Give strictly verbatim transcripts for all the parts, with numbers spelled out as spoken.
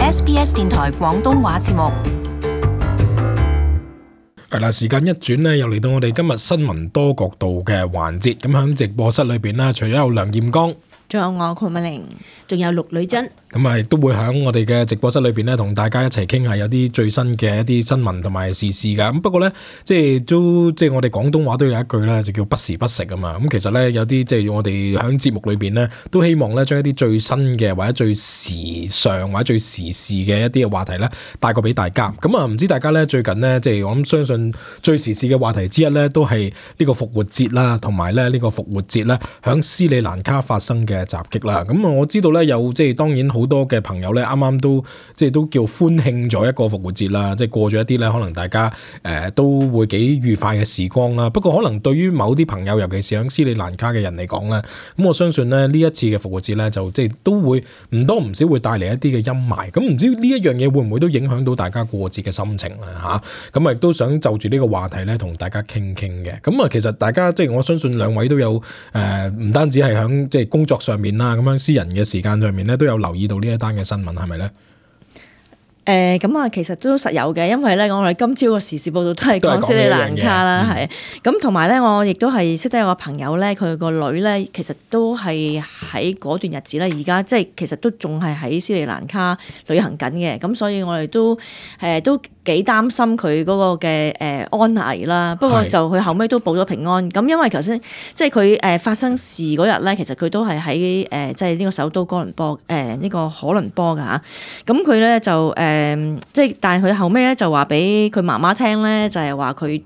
S B S 電台廣東話節目。係啦，時間一轉呢，又嚟到我哋今日新聞多角度嘅環節。咁喺直播室裏邊呢，除咗有梁艷剛，仲有我鄺美玲，仲有陸女珍。咁啊，亦都會喺我哋嘅直播室裏邊咧，同大家一齊傾下有啲最新嘅一啲新聞同埋時事噶。咁不過咧，即係都即係我哋廣東話都有一句咧，就叫不時不食啊嘛。咁其實咧，有啲即係我哋喺節目裏邊咧，都希望咧將一啲最新嘅或者最時尚或者最時事嘅一啲嘅話題咧，帶過俾大家。咁啊，唔知大家咧最近咧，即係我諗相信最時事嘅話題之一咧，都係呢個復活節啦，同埋咧呢個復活節咧響斯里蘭卡發生嘅襲擊啦。咁啊，我知道咧有即係當然好多嘅朋友咧，啱啱都即係都叫歡慶咗一個復活節啦，即係過咗一啲咧，可能大家誒、呃、都會幾愉快嘅時光啦。不過可能對於某啲朋友，尤其是喺斯里蘭卡嘅人嚟講咧，咁我相信咧呢一次嘅復活節咧，就即係都會唔多唔少會帶嚟一啲嘅陰霾。咁唔知呢一樣嘢會唔會都影響到大家過節嘅心情咧嚇？咁啊亦都想就住呢個話題咧，同大家傾傾嘅。咁啊其實大家即係我相信兩位都有誒，唔、呃、單止係喺即係工作上面啦，咁樣私人嘅時間上面咧，都有留意到呢一單嘅新聞係咪咧？誒咁啊，其實都實有嘅，因為咧我哋今朝個時事報道都係講斯里蘭卡啦，係咁同埋咧，我亦都係識得有個朋友咧，佢個女咧其實都係喺嗰段日子咧，而家即係其實都仲係喺斯里蘭卡旅行緊嘅，咁所以我哋都誒、呃、都幾擔心佢嗰個嘅誒安危啦。不過就佢後尾都報咗平安。咁因為頭先即係佢誒發生事嗰日咧，其實佢都係喺誒即係呢個首都哥倫坡誒呢、呃呢個可倫坡㗎嚇。咁佢咧就誒。呃誒，即係，但係佢後尾咧就話俾佢媽媽聽咧，就係話佢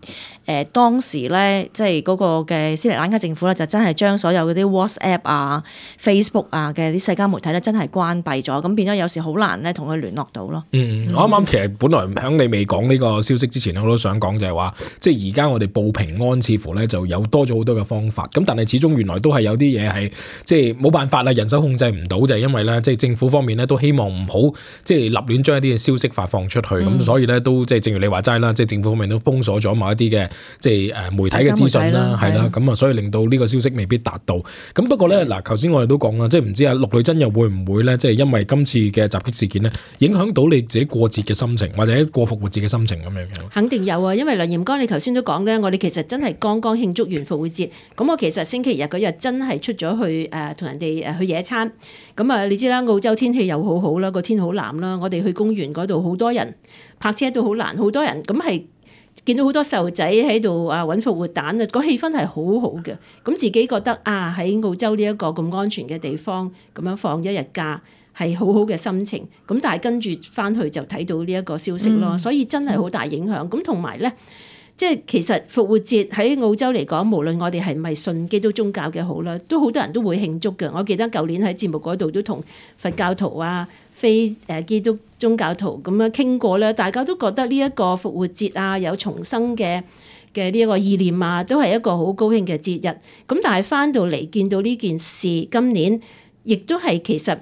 誒當時咧，即係嗰個嘅斯里蘭卡政府咧，就真係將所有嗰啲 WhatsApp 啊、Facebook 啊嘅啲社交媒體咧，真係關閉咗，咁變咗有時好難咧同佢聯絡到咯。嗯，我啱啱其實本來響你未講呢個消息之前，我都想講就係話，即係而家我哋報平安，似乎咧就有多咗好多嘅方法。咁但係始終原來都係有啲嘢係即係冇辦法啦，人手控制唔到，就係因為咧，即係政府方面咧都希望唔好即係立亂將一啲嘅消息發放出去，咁、嗯、所以咧都即係正如你話齋啦，即係政府方面都封鎖咗某一啲嘅即係誒媒體嘅資訊啦，係啦，咁啊所以令到呢個消息未必達到。咁不過咧嗱，頭先我哋都講啦，即係唔知啊陸女珍又會唔會咧，即係因為今次嘅襲擊事件咧，影響到你自己過節嘅心情，或者過復活節嘅心情咁樣樣？肯定有啊，因為梁艷剛你頭先都講咧，我哋其實真係剛剛慶祝完復活節，咁我其實星期日嗰日真係出咗去誒同人哋誒去野餐。咁啊，你知啦，澳洲天氣又好好啦，個天好藍啦，我哋去公園嗰度好多人，泊車都好難，好多人，咁係見到好多細路仔喺度啊揾復活蛋啊，個氣氛係好好嘅。咁自己覺得啊，喺澳洲呢一個咁安全嘅地方，咁樣放一日假係好好嘅心情。咁但係跟住翻去就睇到呢一個消息咯，嗯、所以真係好大影響。咁同埋咧。即係其實復活節喺澳洲嚟講，無論我哋係咪信基督宗教嘅好啦，都好多人都會慶祝嘅。我記得舊年喺節目嗰度都同佛教徒啊、非誒基督宗教徒咁樣傾過咧，大家都覺得呢一個復活節啊，有重生嘅嘅呢一個意念啊，都係一個好高興嘅節日。咁但係翻到嚟見到呢件事，今年亦都係其實。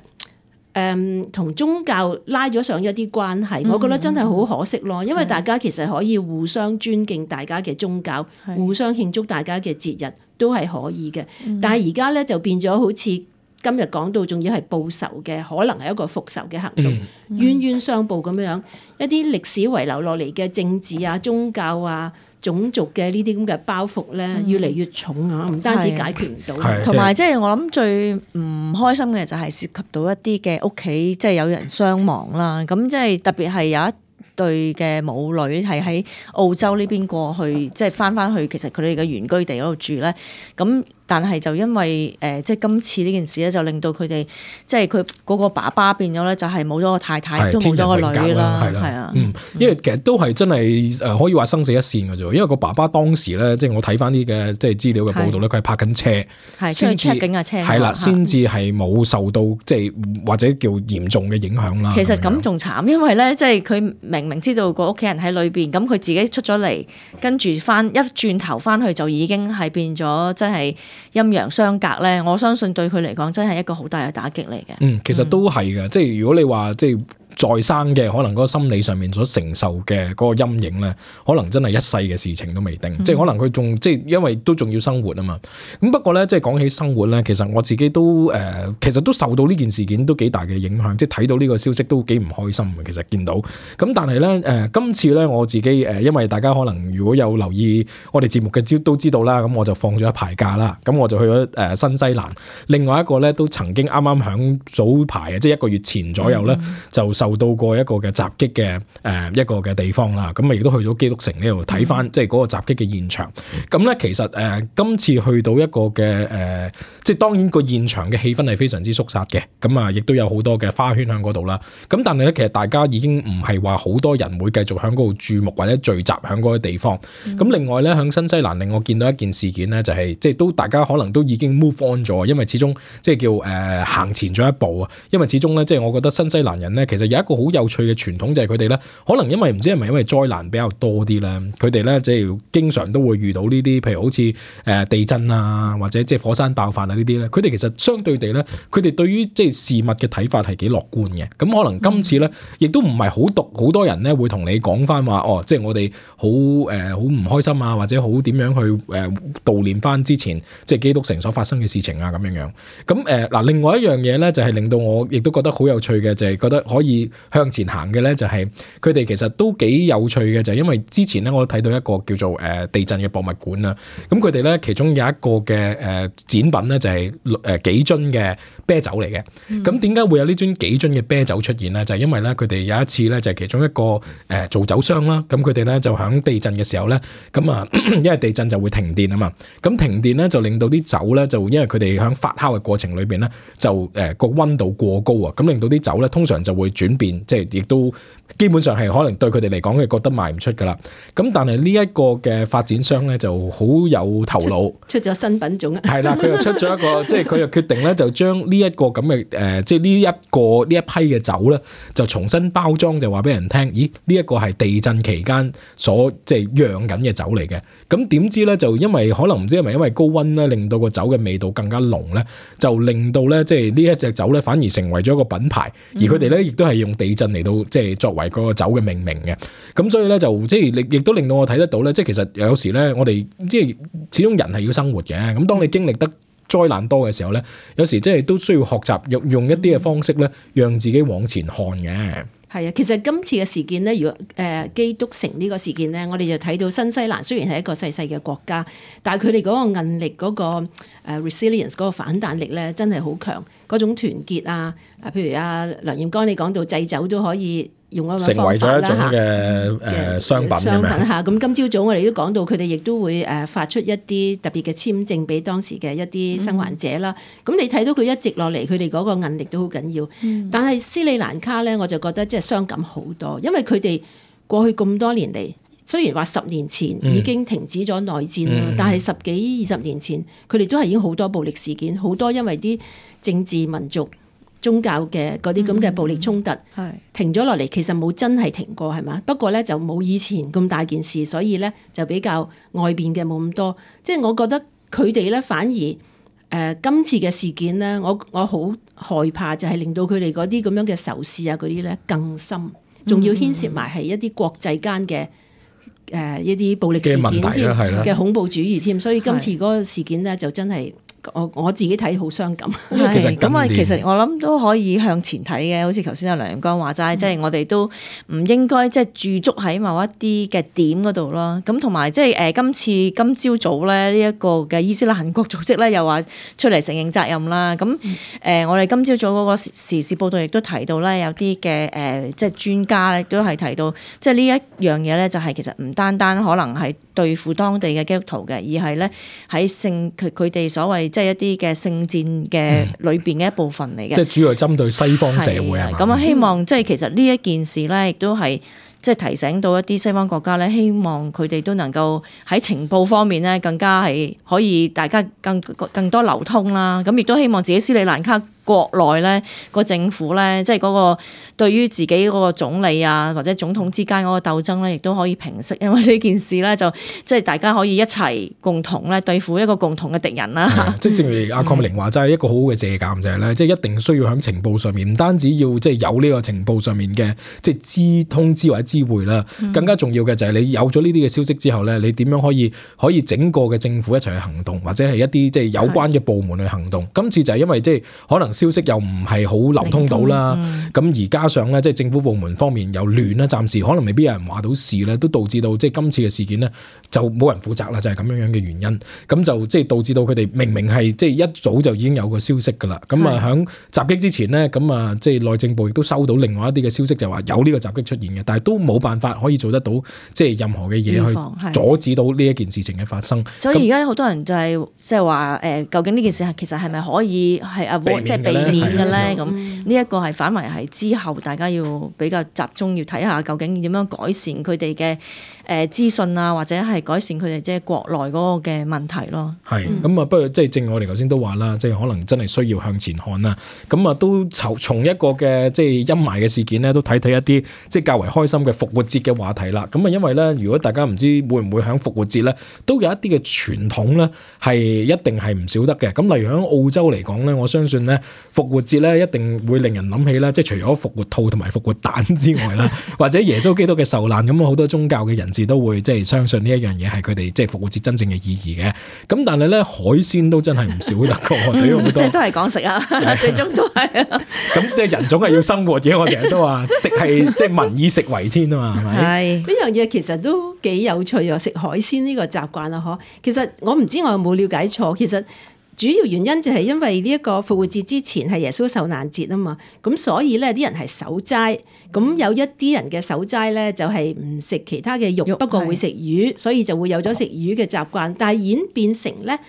誒同、嗯、宗教拉咗上一啲關係，我覺得真係好可惜咯。因為大家其實可以互相尊敬大家嘅宗教，的互相慶祝大家嘅節日都係可以嘅。嗯、但係而家咧就變咗好似今日講到，仲要係報仇嘅，可能係一個復仇嘅行動，嗯、冤冤相報咁樣，一啲歷史遺留落嚟嘅政治啊、宗教啊、種族嘅呢啲咁嘅包袱咧，越嚟越重啊！唔單止解決唔到，同埋即係我諗最唔開心嘅就係涉及到一啲嘅屋企，即係有人傷亡啦。咁即係特別係有一對嘅母女係喺澳洲呢邊過去，即係翻翻去其實佢哋嘅原居地嗰度住咧。咁但係就因為誒、呃，即係今次呢件事咧，就令到佢哋即係佢嗰個爸爸變咗咧，就係冇咗個太太，都冇咗個女啦，係啊，嗯，因為其實都係真係誒，可以話生死一線嘅啫。因為個爸爸當時咧，即係我睇翻啲嘅即係資料嘅報道咧，佢係泊緊車，係先至出境嘅車，係啦，先至係冇受到即係或者叫嚴重嘅影響啦。其實咁仲慘，因為咧，即係佢明明知道個屋企人喺裏邊，咁佢自己出咗嚟，跟住翻一轉頭翻去就已經係變咗，真係。陰陽相隔咧，我相信對佢嚟講真係一個好大嘅打擊嚟嘅。嗯，其實都係嘅，即係如果你話即係再生嘅可能嗰個心理上面所承受嘅嗰個陰影咧，可能真係一世嘅事情都未定，嗯、即係可能佢仲即係因為都仲要生活啊嘛。咁不過咧，即係講起生活咧，其實我自己都誒、呃，其實都受到呢件事件都幾大嘅影響，即係睇到呢個消息都幾唔開心嘅。其實見到咁，但係咧誒，今次咧我自己誒、呃，因為大家可能如果有留意我哋節目嘅知都知道啦，咁我就放咗一排假啦，咁我就去咗誒、呃、新西蘭。另外一個咧都曾經啱啱響早排啊，即係一個月前左右咧，嗯、就受到過一個嘅襲擊嘅誒、呃、一個嘅地方啦。咁啊亦都去咗基督城呢度睇翻，即係嗰個襲擊嘅現場。咁咧其實誒、呃、今次去到一個嘅誒、呃，即係當然個現場嘅氣氛係非常之肅殺嘅。咁啊，亦都有好多嘅花圈喺嗰度啦。咁但係咧，其實大家已經唔係話好多人會繼續喺嗰度注目或者聚集喺嗰個地方。咁、嗯、另外咧，喺新西蘭令我見到一件事件咧，就係、是、即係都大家可能都已經 move on 咗，因為始終即係叫誒、呃、行前咗一步啊。因為始終咧，即係我覺得新西蘭人咧，其實有一個好有趣嘅傳統，就係佢哋咧，可能因為唔知係咪因為災難比較多啲咧，佢哋咧即係經常都會遇到呢啲，譬如好似誒地震啊，或者即係火山爆發啊呢啲咧，佢哋其實相對地咧，佢哋對於即係事物嘅睇法係幾樂觀嘅。咁可能今次咧，亦都唔係好毒，好多人咧會同你講翻話，哦，即係我哋好誒好唔開心啊，或者好點樣去誒、呃、悼念翻之前即係基督城所發生嘅事情啊咁樣樣。咁誒嗱，另外一樣嘢咧，就係、是、令到我亦都覺得好有趣嘅，就係、是、覺得可以向前行嘅咧，就係佢哋其實都幾有趣嘅，就係、是、因為之前咧我睇到一個叫做誒、呃、地震嘅博物館啊。咁佢哋咧其中有一個嘅誒、呃、展品咧，就係誒幾樽嘅啤酒嚟嘅。咁點解會有呢樽幾樽嘅啤酒出現咧？就係、是、因為咧佢哋有一次咧就係其中一個誒、呃、做酒商啦。咁佢哋咧就響地震嘅時候咧，咁啊因為地震就會停電啊嘛。咁停電咧就令到啲酒咧就因為佢哋響發酵嘅過程裏邊咧就誒個溫度過高啊，咁令到啲酒咧通常就會轉變，即係亦都基本上係可能對佢哋嚟講係覺得賣唔出噶啦。咁但係呢一個嘅發展商咧就好有頭腦，出咗新品種啊，係啦，佢又出咗一個，即係佢又決定咧就將呢一個咁嘅誒，即係呢一個呢一批嘅酒咧就重新包裝，就話俾人聽，咦呢一個係地震期間所即係釀緊嘅酒嚟嘅。咁點知咧就因為可能唔知係咪因為高溫咧令到個酒嘅味道更加濃咧，就令到咧即係呢一隻酒咧反而成為咗一個品牌，而佢哋咧亦都係用地震嚟到即係作為個酒嘅命名嘅。咁所以咧就即係亦都令到我睇得到咧，即係其實有時咧我哋即係始終人係要生活嘅。咁當你經歷得災難多嘅時候咧，有時即係都需要學習用用一啲嘅方式咧，讓自己往前看嘅。係啊，其實今次嘅事件咧，如果誒、呃、基督城呢個事件咧，我哋就睇到新西蘭雖然係一個細細嘅國家，但係佢哋嗰個韌力、嗰、嗰個、呃、resilience 嗰個反彈力咧，真係好強。嗰種團結啊，啊譬如阿梁焱剛你講到製酒都可以用嗰個方法啦，成為咗一種嘅誒商品商品嚇。咁今朝早我哋都講到，佢哋亦都會誒發出一啲特別嘅簽證俾當時嘅一啲生還者啦。咁、嗯、你睇到佢一直落嚟，佢哋嗰個韌力都好緊要。嗯、但係斯里蘭卡咧，我就覺得即係傷感好多，因為佢哋過去咁多年嚟，雖然話十年前已經停止咗內戰啦，嗯、但係十幾二十年前，佢哋都係已經好多暴力事件，好多因為啲政治民族宗教嘅嗰啲咁嘅暴力衝突，嗯、停咗落嚟，其實冇真係停過係嘛？不過咧就冇以前咁大件事，所以咧就比較外邊嘅冇咁多。即係我覺得佢哋咧反而誒、呃、今次嘅事件咧，我我好害怕就係令到佢哋嗰啲咁樣嘅仇視啊嗰啲咧更深，仲要牽涉埋係一啲國際間嘅誒一啲暴力事件添嘅恐怖主義添。所以今次嗰個事件咧就真係。我我自己睇好傷感，係咁啊！其實我諗都可以向前睇嘅，好似頭先阿梁焱剛話齋，即係、嗯、我哋都唔應該即係駐足喺某一啲嘅點嗰度咯。咁同埋即係誒今次今朝早咧呢一個嘅伊斯蘭國組織咧又話出嚟承認責任啦。咁誒、嗯呃、我哋今朝早嗰個時事報道亦都提到咧，有啲嘅誒即係專家咧都係提到，即係呢一樣嘢咧就係其實唔單單可能係對付當地嘅基督徒嘅，而係咧喺聖佢佢哋所謂。即係一啲嘅聖戰嘅裏邊嘅一部分嚟嘅，即係主要係針對西方社會啊。咁啊，希望即係其實呢一件事咧，亦都係即係提醒到一啲西方國家咧，希望佢哋都能夠喺情報方面咧，更加係可以大家更更多流通啦。咁亦都希望自己斯里蘭卡國內咧個政府咧，即係嗰個對於自己嗰個總理啊或者總統之間嗰個鬥爭咧，亦都可以平息，因為呢件事咧就即係大家可以一齊共同咧對付一個共同嘅敵人啦。即係正如阿鄺美玲話齋，一個好好嘅借鑑就係咧，即係一定需要喺情報上面，唔單止要即係有呢個情報上面嘅即係知通知或者知會啦，更加重要嘅就係你有咗呢啲嘅消息之後咧，你點樣可以可以整個嘅政府一齊去行動，或者係一啲即係有關嘅部門去行動。今次就係因為即係可能消息又唔係好流通到啦，咁、嗯、而加上咧即係政府部門方面又亂啦，暫時可能未必有人話到事咧，都導致到即係今次嘅事件咧就冇人負責啦，就係咁樣樣嘅原因。咁就即係導致到佢哋明明係即係一早就已經有個消息㗎啦。咁啊喺襲擊之前咧，咁啊即係內政部亦都收到另外一啲嘅消息，就話有呢個襲擊出現嘅，但係都冇辦法可以做得到即係任何嘅嘢去阻止到呢一件事情嘅發生。所以而家好多人就係即係話誒，究竟呢件事係其實係咪可以係 avoid 即係避免嘅咧？咁呢一個係反為係之後大家要比較集中要睇下究竟點樣改善佢哋嘅誒資訊啊，或者係改善佢哋即係國內嗰個嘅問題咯。係咁啊，不過即係正如我哋頭先都話啦，即係可能真係需要向前看啦。咁啊，都從從一個嘅即係陰霾嘅事件咧，都睇睇一啲即係較為開心嘅復活節嘅話題啦。咁啊，因為咧，如果大家唔知會唔會喺復活節咧，都有一啲嘅傳統咧係一定係唔少得嘅。咁例如喺澳洲嚟講咧，我相信咧復活節咧一定會令人諗起咧，即係除咗復活兔同埋復活蛋之外啦，或者耶穌基督嘅受難，咁好多宗教嘅人士都會即係相信呢一樣嘢係佢哋即係復活節真正嘅意義嘅。咁但係咧海鮮都真係唔少得嘅，對於好多即係都係講食啊，最終都係。咁即係人種係要生活嘅，我成日都話食係即係民以食為天啊嘛，係咪？係呢樣嘢其實都幾有趣啊！食海鮮呢個習慣啊，嗬。其實我唔知我有冇了解錯，其實。主要原因就係因為呢一個復活節之前係耶穌受難節啊嘛，咁所以咧啲人係守齋，咁有一啲人嘅守齋咧就係唔食其他嘅肉，肉不過會食魚，所以就會有咗食魚嘅習慣，但係演變成咧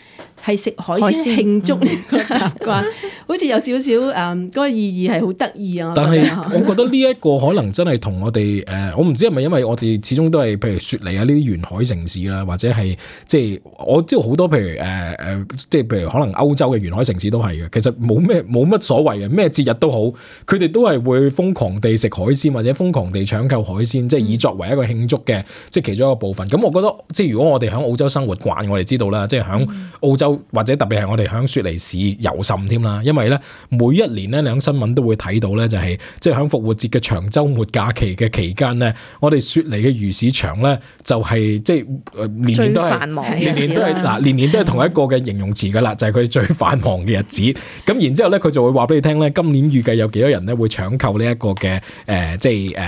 係食海鮮慶祝呢個習慣，好似有少少誒嗰個意義係好得意啊！但係我覺得呢一個可能真係同我哋誒、呃，我唔知係咪因為我哋始終都係譬如雪梨啊呢啲沿海城市啦，或者係即係我知道好多譬如誒誒、呃，即係譬如可能歐洲嘅沿海城市都係嘅，其實冇咩冇乜所謂嘅，咩節日都好，佢哋都係會瘋狂地食海鮮或者瘋狂地搶購海鮮，即係以作為一個慶祝嘅即係其中一個部分。咁我覺得即係如果我哋喺澳洲生活慣，我哋知道啦，即係喺澳洲。或者特別係我哋響雪梨市尤甚添啦，因為咧每一年咧，你喺新聞都會睇到咧，就係即係響復活節嘅長週末假期嘅期間咧，我哋雪梨嘅魚市場咧就係即係年年都係年年都係嗱年年都係同一個嘅形容詞噶啦，就係佢最繁忙嘅日子。咁然之後咧，佢就會話俾你聽咧，今年預計有幾多人咧會搶購呢一個嘅誒即係誒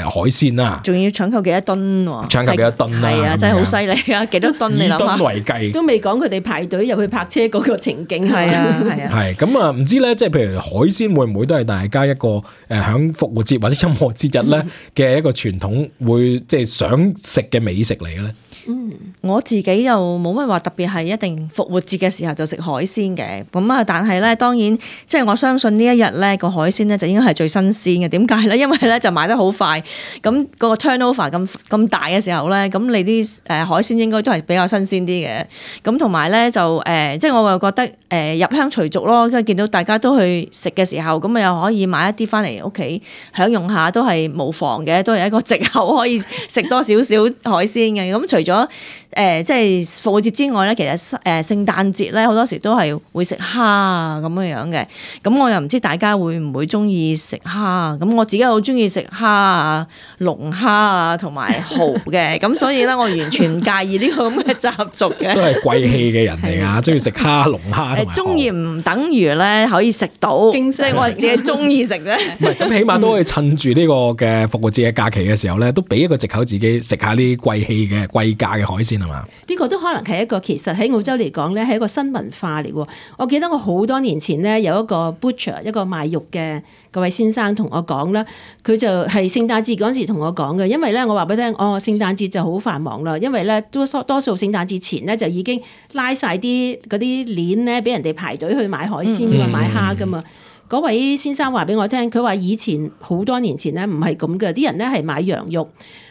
海鮮啦，仲要搶購幾多噸喎？搶購幾多噸啊？係啊，真係好犀利啊！幾多噸你諗下？以噸為計，都未講佢哋排隊入去泊車嗰個情景。係啊係啊，係咁啊，唔知咧，即係譬如海鮮會唔會都係大家一個誒響復活節或者任何節日咧嘅一個傳統，會即係想食嘅美食嚟嘅咧？嗯，我自己又冇乜話特別係一定復活節嘅時候就食海鮮嘅，咁啊，但係咧當然即係我相信呢一日咧個海鮮咧就應該係最新鮮嘅。點解咧？因為咧就買得好快，咁個 turnover 咁咁大嘅時候咧，咁你啲誒海鮮應該都係比較新鮮啲嘅。咁同埋咧就誒、呃，即係我又覺得誒、呃、入鄉隨俗咯，跟住見到大家都去食嘅時候，咁啊又可以買一啲翻嚟屋企享用下，都係無妨嘅，都係一個藉口可以食多少少海鮮嘅。咁除咗誒、呃，即係復活節之外咧，其實誒聖誕節咧好多時都係會食蝦啊咁樣樣嘅。咁我又唔知大家會唔會中意食蝦？咁我自己好中意食蝦啊、龍蝦啊同埋蠔嘅。咁所以咧，我完全唔介意呢個咁嘅習俗嘅。都係貴氣嘅人嚟啊，中意食蝦、龍蝦同埋蠔。中意唔等於咧可以食到，即係我係自己中意食啫。唔係咁，起碼都可以趁住呢個嘅復活節嘅假期嘅時候咧，都俾一個藉口自己食下啲貴氣嘅貴價嘅海鮮係嘛？呢個都可能係一個，其實喺澳洲嚟講咧係一個新文化嚟喎。我記得我好多年前咧有一個 butcher 一個賣肉嘅嗰位先生同我講啦，佢就係聖誕節嗰陣時同我講嘅，因為咧我話俾你聽，哦聖誕節就好繁忙啦，因為咧多多數聖誕節前咧就已經拉晒啲嗰啲鏈咧俾人哋排隊去買海鮮㗎嘛，買蝦㗎嘛。嗰位先生話俾我聽，佢話以前好多年前咧唔係咁嘅，啲人咧係買羊肉。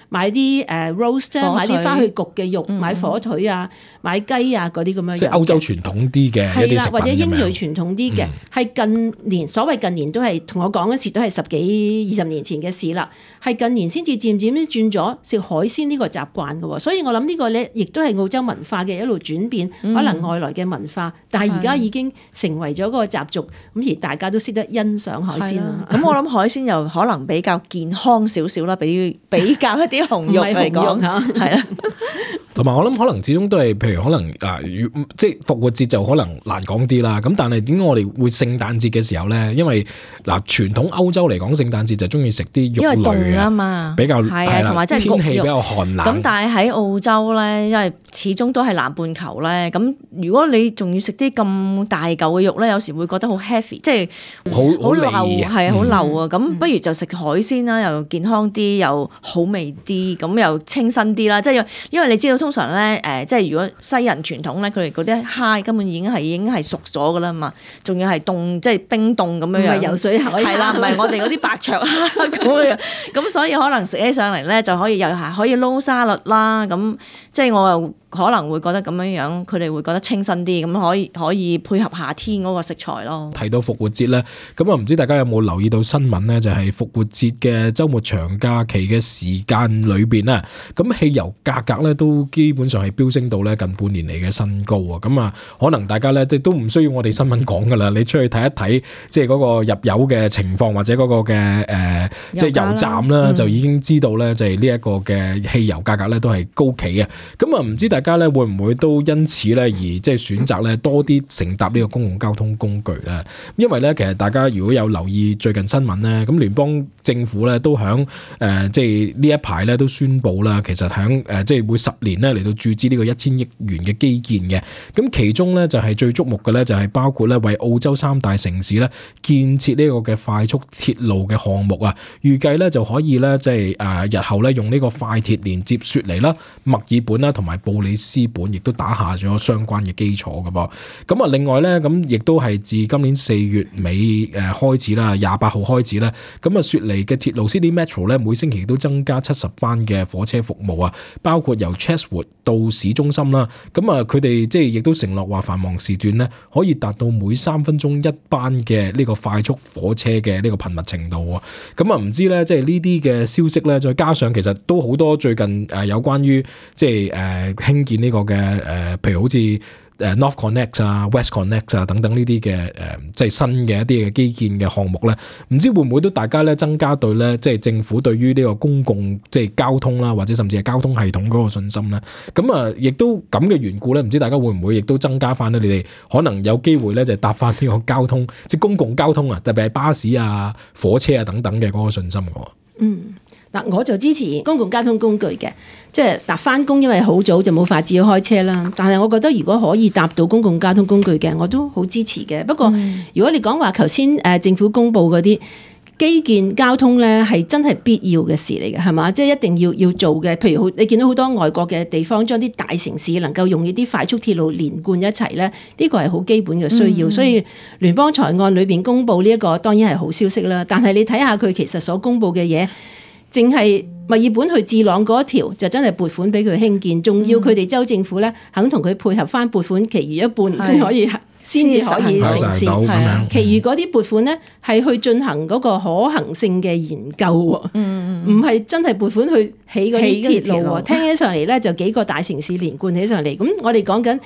買啲誒 roast 啊，買啲花去焗嘅肉，嗯、買火腿啊，買雞啊嗰啲咁樣。即係歐洲傳統啲嘅一啲食品，或者英裔傳統啲嘅，係、嗯、近年所謂近年都係同我講嗰時都係十幾二十年前嘅事啦。係近年先至漸漸轉咗食海鮮呢個習慣嘅，所以我諗呢個咧亦都係澳洲文化嘅一路轉變，嗯、可能外來嘅文化，但係而家已經成為咗個習俗，咁而大家都識得欣賞海鮮啦。咁我諗海鮮又可能比較健康少少啦，比比較一啲紅肉嚟講嚇，係啦。同埋我諗可能始終都係，譬如可能啊，即係復活節就可能難講啲啦。咁但係點解我哋會聖誕節嘅時候咧？因為嗱傳統歐洲嚟講，聖誕節就中意食啲肉類啊嘛，比較係啊，同埋即係天氣比較寒冷。咁但係喺澳洲咧，因為始終都係南半球咧，咁如果你仲要食啲咁大嚿嘅肉咧，有時會覺得好 heavy， 即係好好流，係好流啊。咁、嗯、不如就食海鮮啦，又健康啲，又好味啲，咁又清新啲啦。即係因為你知道通常咧，誒，即係如果西人傳統咧，佢哋嗰啲蝦根本已經係已經係熟咗噶啦嘛，仲要係凍，即係冰凍咁樣樣，游水海係啦，唔係我哋嗰啲白灼蝦咁樣，咁所以可能食起上嚟咧就可以又係可以撈沙律啦，咁即係我又可能會覺得咁樣樣，佢哋會覺得清新啲，咁可以可以配合夏天嗰個食材咯。提到復活節咧，咁啊唔知大家有冇留意到新聞咧？就係復活節嘅週末長假期嘅時間裏邊咧，咁汽油價格咧都基本上係飆升到咧近半年嚟嘅新高啊！咁啊，可能大家咧即係都唔需要我哋新聞講噶啦，你出去睇一睇，即係嗰個入油嘅情況或者嗰個嘅誒，即係油站啦，就已經知道咧，就係呢一個嘅汽油價格咧都係高企嘅。咁啊，唔知大家咧會唔會都因此咧而即係選擇咧多啲乘搭呢個公共交通工具咧？因為咧其實大家如果有留意最近新聞咧，咁聯邦政府咧都響誒即係呢一排咧都宣布啦，其實響誒即係會十年咧嚟到注資呢個一千億元嘅基建嘅。咁其中咧就係最矚目嘅咧就係包括咧為澳洲三大城市咧建設呢個嘅快速鐵路嘅項目啊，預計咧就可以咧即係誒日後咧用呢個快鐵連接雪梨啦、墨爾本啦同埋布里斯本，亦都打下咗相關嘅基礎㗎噃。咁啊，另外咧咁亦都係自今年四月尾誒開始啦，廿八號開始咧，咁啊雪梨嘅鐵路 Sydney Metro 咧每星期都增加七十班嘅火車服務啊，包括由 Chatswood 到市中心啦。咁啊，佢哋即係亦都承諾話繁忙時段咧可以達到每三分鐘一班嘅呢個快速火車嘅呢個頻密程度啊。咁啊，唔知咧即係呢啲嘅消息咧，再加上其實都好多最近誒有關於即係誒興建呢個嘅誒，譬如好似誒 North Connect 啊、West Connect 啊等等呢啲嘅誒，即係新嘅一啲嘅基建嘅項目咧，唔知會唔會都大家咧增加對咧，即係政府對於呢個公共即係交通啦，或者甚至係交通系統嗰個信心咧？咁啊，亦都咁嘅緣故咧，唔知大家會唔會亦都增加翻咧？你哋可能有機會咧，就係搭翻呢個交通，即係公共交通啊，特別係巴士啊、火車啊等等嘅嗰個信心嘅。嗯。嗱，我就支持公共交通工具嘅，即係嗱返工，因為好早就冇法子去開車啦。但係我覺得如果可以搭到公共交通工具嘅，我都好支持嘅。不過、嗯、如果你講話頭先誒政府公布嗰啲基建交通咧，係真係必要嘅事嚟嘅，係嘛？即係一定要要做嘅。譬如好，你見到好多外國嘅地方將啲大城市能夠用呢啲快速鐵路連貫一齊咧，呢個係好基本嘅需要。嗯、所以聯邦財案裏邊公布呢一個當然係好消息啦。但係你睇下佢其實所公布嘅嘢。淨係墨爾本去智朗嗰一條就真係撥款俾佢興建，仲要佢哋州政府咧肯同佢配合翻撥款，其餘一半先可以先至可以成事。其餘嗰啲撥款咧係去進行嗰個可行性嘅研究喎，唔係、嗯、真係撥款去起嗰啲鐵路喎。聽起上嚟咧就幾個大城市連貫起上嚟，咁我哋講緊。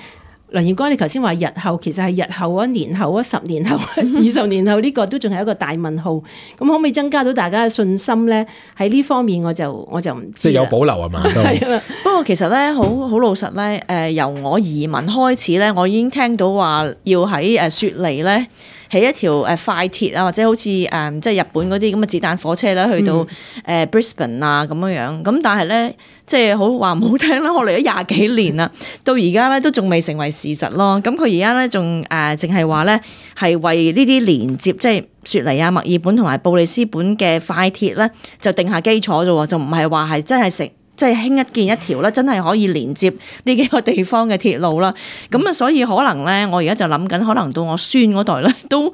梁耀光，你頭先話日後其實係日後啊、年後啊、十年後、二十年後呢個都仲係一個大問號。咁可唔可以增加到大家嘅信心咧？喺呢方面我就我就唔知。即係有保留係嘛？係啊。不過其實咧，好好老實咧，誒、呃、由我移民開始咧，我已經聽到話要喺誒雪梨咧起一條誒快鐵啊，或者好似誒即係日本嗰啲咁嘅子彈火車咧，去到誒 Brisbane 啊咁樣樣。咁但係咧，即係好話唔好聽啦，我嚟咗廿幾年啦，到而家咧都仲未成為事實咯。咁佢而家咧仲誒淨係話咧係為呢啲連接，即係雪梨啊、墨爾本同埋布里斯本嘅快鐵咧，就定下基礎啫喎，就唔係話係真係成。即係興一建一條咧，真係可以連接呢幾個地方嘅鐵路啦。咁啊，所以可能咧，我而家就諗緊，可能到我孫嗰代咧，都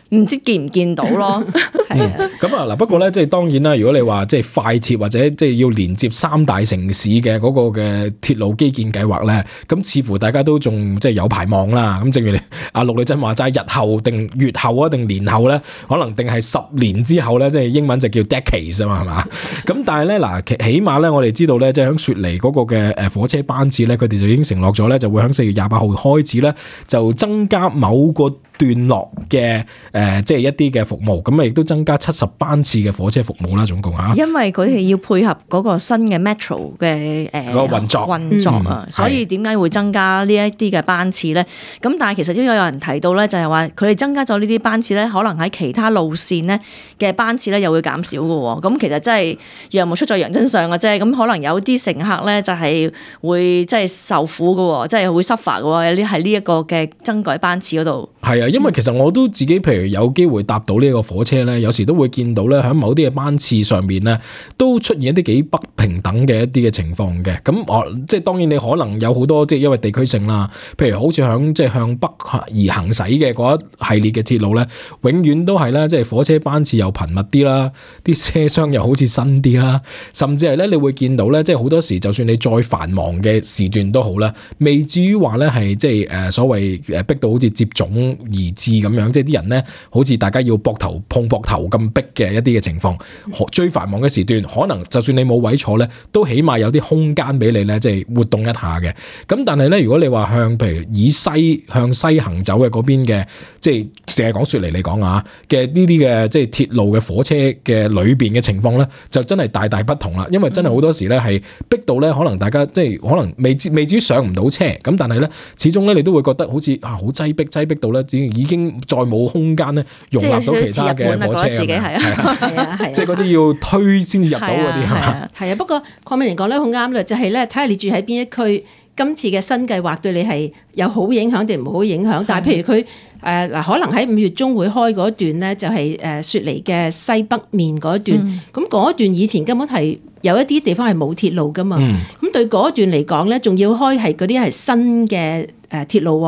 唔知見唔見到咯。係啊，咁啊嗱，不過咧，即係當然啦。如果你話即係快鐵或者即係要連接三大城市嘅嗰個嘅鐵路基建計劃咧，咁似乎大家都仲即係有排望啦。咁正如你阿陸女真話齋，日後定月後啊，定年後咧，可能定係十年之後咧，即係英文就叫 decades 啊嘛，係嘛？咁但係咧嗱，起碼咧，我哋知道咧，即係響雪梨嗰個嘅誒火車班次咧，佢哋就已經承諾咗咧，就會響四月廿八號開始咧，就增加某個段落嘅誒、呃，即係一啲嘅服務，咁啊亦都增加七十班次嘅火車服務啦，總共嚇。因為佢哋要配合嗰個新嘅 Metro 嘅誒、呃、個運作運作啊，嗯、所以點解會增加呢一啲嘅班次咧？咁但係其實都有人提到咧，就係話佢哋增加咗呢啲班次咧，可能喺其他路線咧嘅班次咧又會減少嘅喎。咁其實真係羊毛出在羊身上嘅啫。咁可能有啲乘客咧就係會即係受苦嘅喎，即係會 suffer 嘅喎。呢喺呢一個嘅增改班次嗰度。係啊。因為其實我都自己譬如有機會搭到呢個火車咧，有時都會見到咧喺某啲嘅班次上面咧，都出現一啲幾不平等嘅一啲嘅情況嘅。咁我即係當然你可能有好多即係因為地區性啦，譬如好似響即係向北而行駛嘅嗰一系列嘅鐵路咧，永遠都係咧即係火車班次又頻密啲啦，啲車廂又好似新啲啦，甚至係咧你會見到咧即係好多時就算你再繁忙嘅時段都好啦，未至於話咧係即係誒所謂誒逼到好似接踵而至咁樣，即係啲人咧，好似大家要膊頭碰膊頭咁逼嘅一啲嘅情況。最繁忙嘅時段，可能就算你冇位坐咧，都起碼有啲空間俾你咧，即係活動一下嘅。咁但係咧，如果你話向譬如以西向西行走嘅嗰邊嘅，即係淨係講雪梨嚟講啊嘅呢啲嘅即係鐵路嘅火車嘅裏邊嘅情況咧，就真係大大不同啦。因為真係好多時咧係逼到咧，可能大家即係可能未未至於上唔到車，咁但係咧，始終咧你都會覺得好似啊好擠逼擠逼到咧，已經再冇空間咧容納到其他嘅火車，自己係啊，係啊，係即係嗰啲要推先至入到嗰啲係嘛？係啊，不過鄺美玲講得好啱啦，就係咧睇下你住喺邊一區，今次嘅新計劃對你係有好影響定唔好影響？但係譬如佢誒嗱，可能喺五月中會開嗰段咧，就係誒雪梨嘅西北面嗰段，咁嗰、嗯、段以前根本係有一啲地方係冇鐵路噶嘛，咁、嗯、對嗰段嚟講咧，仲要開係嗰啲係新嘅誒鐵路，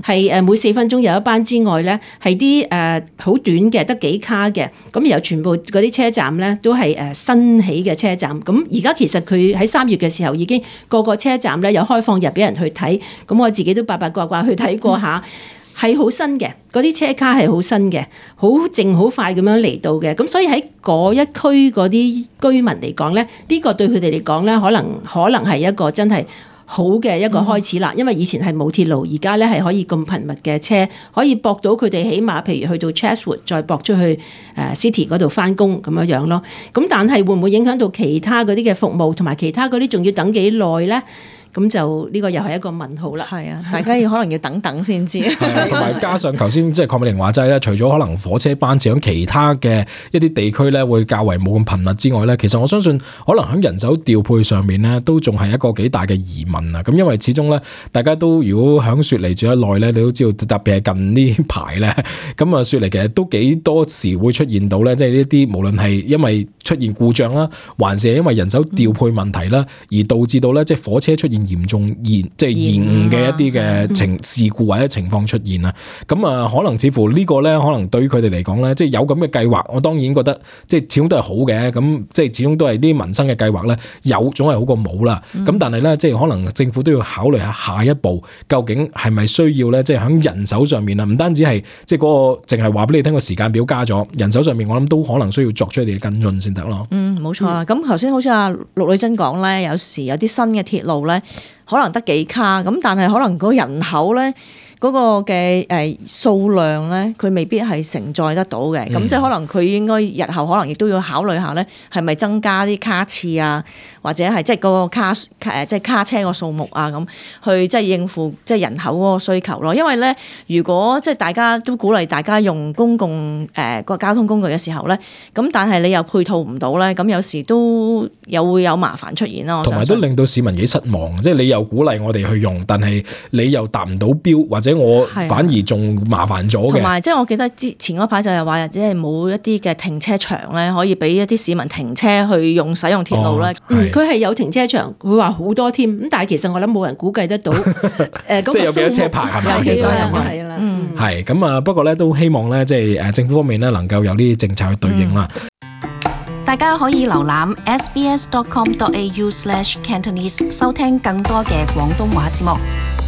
係誒每四分鐘有一班之外咧，係啲誒好短嘅，得幾卡嘅，咁然後全部嗰啲車站咧都係誒新起嘅車站。咁而家其實佢喺三月嘅時候已經個個車站咧有開放日俾人去睇，咁我自己都八八卦卦去睇過下。嗯係好新嘅，嗰啲車卡係好新嘅，好靜好快咁樣嚟到嘅，咁所以喺嗰一區嗰啲居民嚟講咧，呢、呢個對佢哋嚟講咧，可能可能係一個真係好嘅一個開始啦。嗯、因為以前係冇鐵路，而家咧係可以咁頻密嘅車，可以駁到佢哋，起碼譬如去到 Chatswood 再駁出去誒 City 嗰度翻工咁樣樣咯。咁但係會唔會影響到其他嗰啲嘅服務，同埋其他嗰啲仲要等幾耐咧？咁就呢個又係一個問號啦。係啊，大家要可能要等等先知。係啊，同埋加上頭先即係鄺美玲話齋咧，除咗可能火車班次喺其他嘅一啲地區咧會較為冇咁頻密之外咧，其實我相信可能喺人手調配上面咧都仲係一個幾大嘅疑問啊。咁因為始終咧，大家都如果喺雪梨住得耐咧，你都知道特別係近呢排咧，咁啊雪梨其實都幾多時會出現到咧，即係呢啲無論係因為出現故障啦，還是係因為人手調配問題啦，而導致到咧即係火車出現嚴重延即係延誤嘅一啲嘅情事故或者情況出現啦，咁啊可能似乎呢個咧，可能對於佢哋嚟講咧，即係有咁嘅計劃，我當然覺得即係始終都係好嘅，咁即係始終都係啲民生嘅計劃咧，有總係好過冇啦。咁、嗯、但係咧，即係可能政府都要考慮下下一步究竟係咪需要咧，即係喺人手上面啊，唔單止係即係嗰個淨係話俾你聽個時間表加咗，人手上面我諗都可能需要作出一啲嘅跟進先得咯。嗯，冇錯啊。咁頭先好似阿陸女真講咧，有時有啲新嘅鐵路咧。可能得幾卡咁，但係可能嗰人口咧，嗰個嘅誒數量咧，佢未必係承載得到嘅。咁、嗯、即係可能佢應該日後可能亦都要考慮下咧，係咪增加啲卡次啊，或者係即係嗰個卡誒即係卡車個數目啊，咁去即係應付即係人口嗰個需求咯。因為咧，如果即係大家都鼓勵大家用公共誒個、呃、交通工具嘅時候咧，咁但係你又配套唔到咧，咁有時都有會有麻煩出現咯。同埋都令到市民幾失望，即係你又鼓勵我哋去用，但係你又達唔到標，或者我反而仲麻煩咗嘅。同埋即係我記得之前嗰排就係話，即係冇一啲嘅停車場咧，可以俾一啲市民停車去用使用鐵路咧。佢係、嗯、有停車場，佢話好多添。咁但係其實我諗冇人估計得到誒嗰個數目。即係有幾多車牌係咪？有幾多係啦。係咁啊，不過咧都希望咧即係誒政府方面咧能夠有呢啲政策去對應啦。嗯大家可以瀏覽 s b s dot com dot a u slash cantonese 收聽更多嘅廣東話節目。